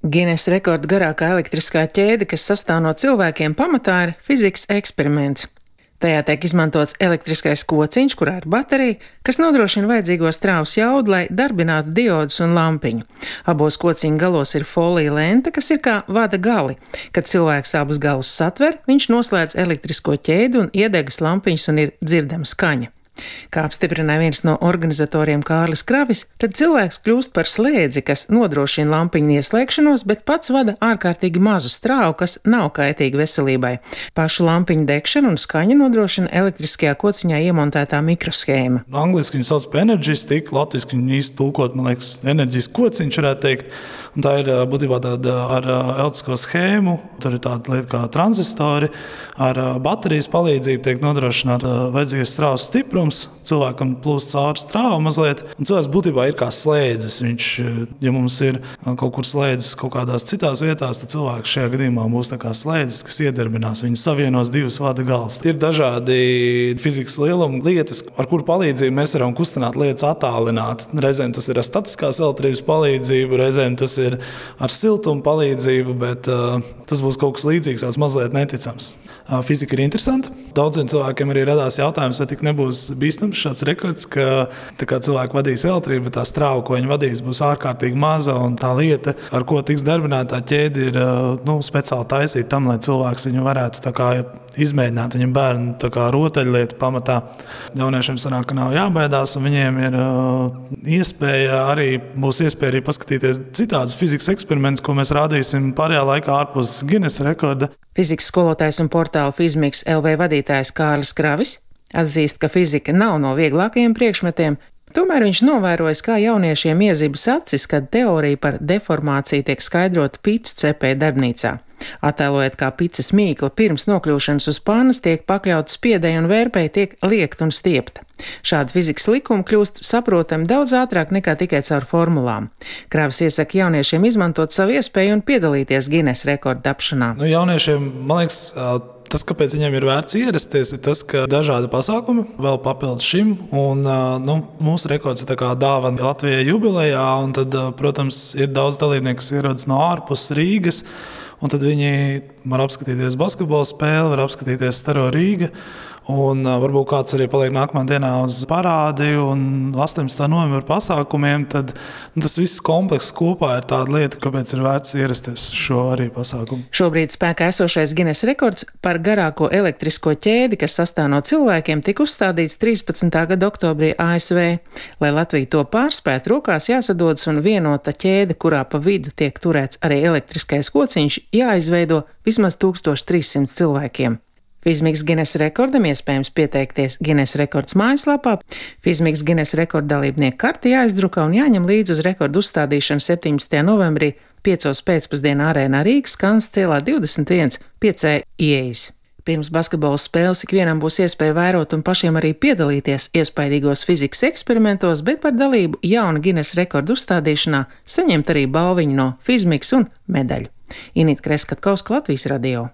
Gines rekorda garākā elektriskā ķēde, kas sastāv no cilvēkiem, pamatā ir fizikas eksperiments. Tajā tiek izmantots elektriskais kociņš, kurā ir baterija, kas nodrošina vajadzīgo strāvas jaudu, lai darbinātu diodus un lampiņu. Abos kociņa galos ir folija lente, kas ir kā vada gali. Kad cilvēks abus galus satver, viņš noslēdz elektrisko ķēdi un iedegas lampiņas un ir dzirdama skaņa. Kā apstiprināja viens no organizatoriem Kārlis Kravis, tad cilvēks kļūst par slēdzi, kas nodrošina lampiņu ieslēgšanos, bet pats vada ārkārtīgi mazu strāvu, kas nav kaitīga veselībai. Pašu lampiņu degšanu un skaņu nodrošina elektriskajā kociņā iemontētā mikroshēma. Angliski viņu sauc par energy stick, latviski viņu īsti tulkot, man liekas, enerģijas kociņš varētu teikt. Un tā ir būtībā tāda ar elektrisko schēmu, tur ir tāda lieta kā tranzistori, ar baterijas palīdzību tiek nodrošināta vajadzīgais strāvas stiprums, cilvēkam plūst cauri strāva mazliet, un cilvēks būtībā ir kā slēdzis. Viņš, ja mums ir kaut kur slēdzis kaut kādās citās vietās, tad cilvēks šajā gadījumā būs tā kā slēdzis, kas iedarbinās, viņi savienos divus vada galus. Ir dažādi fizikas lieluma lietas, ar kuru palīdzību mēs varam kustināt lietas attālināt. Reizēm tas ir ar statiskās elektrības palīdzību, reizēm tas ir ar siltumu palīdzību, bet tas būs kaut kas līdzīgs, tāds mazliet neticams. Fizika ir interesanta. Daudziem cilvēkiem arī radās jautājums, vai tik nebūs bīstams šāds rekords, ka cilvēki vadīs elektrību, bet tā strāva, ko viņi vadīs, būs ārkārtīgi maza, un tā lieta, ar ko tiks darbināta tā ķēde, ir speciāli taisīta tam, lai cilvēks viņu varētu tā kā izmēģināt. Viņam bērnu tā kā rotaļlietu pamatā. Jauniešiem sanāk, ka nav jābaidās, un viņiem ir būs iespēja arī paskatīties citādus fizikas eksperimentus, ko mēs rādīsim pārējā laikā ārpus Gines rekorda. Fizikas skolotājs un portāla Fizmiks LV vadītājs Kārlis Kravis atzīst, ka fizika nav no vieglākajiem priekšmetiem, tomēr viņš novērojis, kā jauniešiem iezibas acis, kad teorija par deformāciju tiek skaidrota picu cepēju darbnīcā. Attēlojot, kā picas mīkla pirms nokļūšanas uz pannas tiek pakļauta spiedei un vērpei, tiek liekta un stiepta. Šādi fizikas likumi kļūst saprotami daudz ātrāk nekā tikai caur formulām. Kravis iesaka jauniešiem izmantot savu iespēju un piedalīties Gines rekorda tapšanā. Jauniešiem, man liekas, tas, kāpēc viņiem ir vērts ierasties, ir tas, ka dažādi pasākumi vēl papildus šim. Un, mūsu rekords ir tā kā dāvana Latvijai jubilejā, un tad, protams, ir daudz dalībnieku, kas ierodas no ārpus Rīgas. Un tad viņi var apskatīties basketbola spēli, var apskatīties Staro Rīga. Un varbūt kāds arī paliek nākamā dienā uz parādi un 18. novembra pasākumiem. Tad tas viss komplekss kopā ir tāda lieta, kāpēc ir vērts ierasties šo arī pasākumu. Šobrīd spēkā esošais Gines rekords par garāko elektrisko ķēdi, kas sastāv no cilvēkiem, tika uzstādīts 13. gada oktobrī ASV. Lai Latvija to pārspētu, rokās jāsadodas un vienota ķēde, kurā pa vidu tiek turēts arī elektriskais kociņš, jāizveido vismaz 1300 cilvēkiem. Fizmiks Gines rekordam iespējams pieteikties Gines rekords mājaslapā. Fizmiks Gines rekorda dalībnieku karti jāizdruka un jāņem līdzi uz rekordu uzstādīšanu 17. novembrī 5. pēcpusdienā arēnā Rīgas Kansas cielā 21 5. ieejas. Pirms basketbola spēles ikvienam būs iespēja vērot un pašiem arī piedalīties iespaidīgos fizikas eksperimentos, bet par dalību jauna Gines rekordu uzstādīšanā saņemt arī balviņu no Fizmiks un medaļu. Inita Kreskatkovska, Latvijas radio.